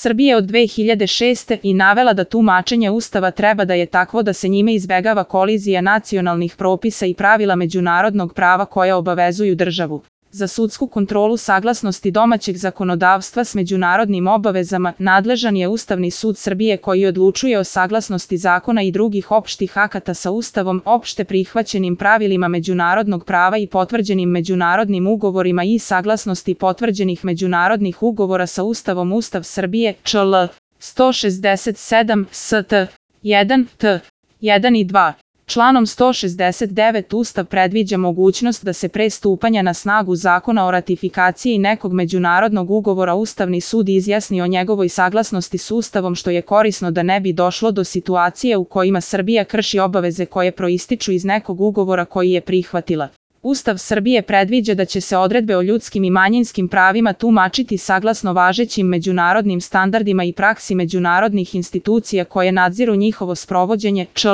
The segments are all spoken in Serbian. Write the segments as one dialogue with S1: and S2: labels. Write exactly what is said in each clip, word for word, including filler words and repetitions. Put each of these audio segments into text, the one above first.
S1: Srbije od dve hiljade šeste. i navela da tumačenje Ustava treba da je takvo da se njime izbegava kolizija nacionalnih propisa i pravila međunarodnog prava koja obavezuju državu. Za sudsku kontrolu saglasnosti domaćeg zakonodavstva s međunarodnim obavezama nadležan je Ustavni sud Srbije koji odlučuje o saglasnosti zakona i drugih opštih akata sa Ustavom, opšte prihvaćenim pravilima međunarodnog prava i potvrđenim međunarodnim ugovorima i saglasnosti potvrđenih međunarodnih ugovora sa Ustavom. Ustav Srbije, čl. sto šezdeset sedam, st. jedan, t. jedan i dva. Članom sto šezdeset devet Ustav predviđa mogućnost da se pre stupanja na snagu zakona o ratifikaciji nekog međunarodnog ugovora Ustavni sud izjasni o njegovoj saglasnosti s Ustavom, što je korisno da ne bi došlo do situacije u kojima Srbija krši obaveze koje proističu iz nekog ugovora koji je prihvatila. Ustav Srbije predviđa da će se odredbe o ljudskim i manjinskim pravima tumačiti saglasno važećim međunarodnim standardima i praksi međunarodnih institucija koje nadziru njihovo sprovođenje, čl.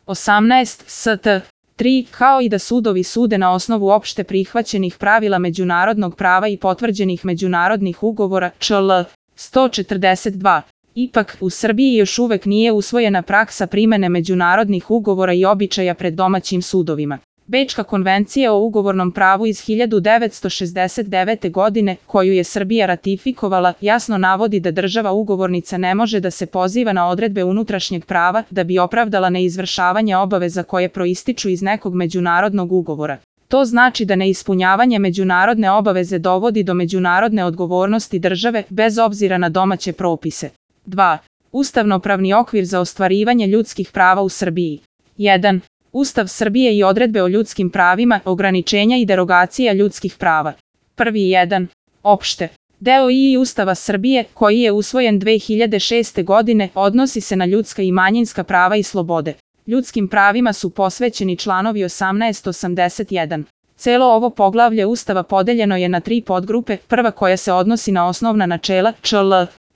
S1: osamnaest, st. tri, kao i da sudovi sude na osnovu opšte prihvaćenih pravila međunarodnog prava i potvrđenih međunarodnih ugovora, čl. sto četrdeset dva. Ipak, u Srbiji još uvek nije usvojena praksa primene međunarodnih ugovora i običaja pred domaćim sudovima. Bečka konvencija o ugovornom pravu iz hiljadu devetsto šezdeset devete. godine, koju je Srbija ratifikovala, jasno navodi da država ugovornica ne može da se poziva na odredbe unutrašnjeg prava da bi opravdala neizvršavanje obaveza koje proističu iz nekog međunarodnog ugovora. To znači da neispunjavanje međunarodne obaveze dovodi do međunarodne odgovornosti države, bez obzira na domaće propise. dva. Ustavnopravni okvir za ostvarivanje ljudskih prava u Srbiji. jedan. Ustav Srbije i odredbe o ljudskim pravima, ograničenja i derogacija ljudskih prava. Prvi jedan. Opšte. Deo I Ustava Srbije, koji je usvojen dve hiljade šeste. godine, odnosi se na ljudska i manjinska prava i slobode. Ljudskim pravima su posvećeni članovi osamnaest osamdeset jedan. Celo ovo poglavlje Ustava podeljeno je na tri podgrupe, prva koja se odnosi na osnovna načela, čl.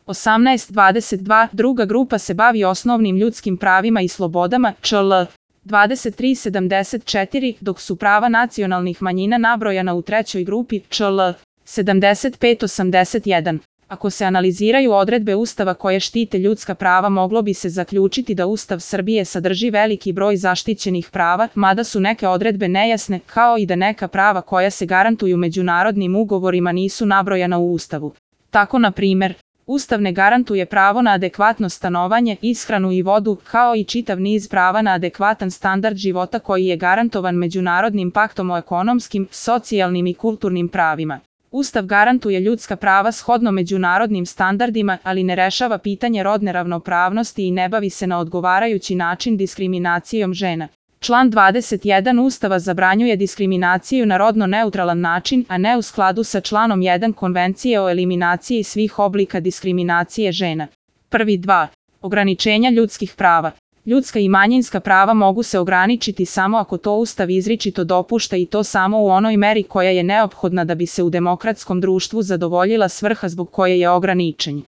S1: osamnaest dvadeset dva, druga grupa se bavi osnovnim ljudskim pravima i slobodama, čl. dvadeset tri sedamdeset četiri, dok su prava nacionalnih manjina nabrojana u trećoj grupi, čl. sedamdeset pet osamdeset jedan. Ako se analiziraju odredbe Ustava koje štite ljudska prava, moglo bi se zaključiti da Ustav Srbije sadrži veliki broj zaštićenih prava, mada su neke odredbe nejasne, kao i da neka prava koja se garantuju međunarodnim ugovorima nisu nabrojana u Ustavu. Tako, na primer, Ustav ne garantuje pravo na adekvatno stanovanje, ishranu i vodu, kao i čitav niz prava na adekvatan standard života koji je garantovan Međunarodnim paktom o ekonomskim, socijalnim i kulturnim pravima. Ustav garantuje ljudska prava shodno međunarodnim standardima, ali ne rešava pitanje rodne ravnopravnosti i ne bavi se na odgovarajući način diskriminacijom žena. Član dvadeset jedan Ustava zabranjuje diskriminaciju na rodno neutralan način, a ne u skladu sa članom jedan Konvencije o eliminaciji svih oblika diskriminacije žena. Prvi dva. Ograničenja ljudskih prava. Ljudska i manjinska prava mogu se ograničiti samo ako to Ustav izričito dopušta i to samo u onoj meri koja je neophodna da bi se u demokratskom društvu zadovoljila svrha zbog koje je ograničen.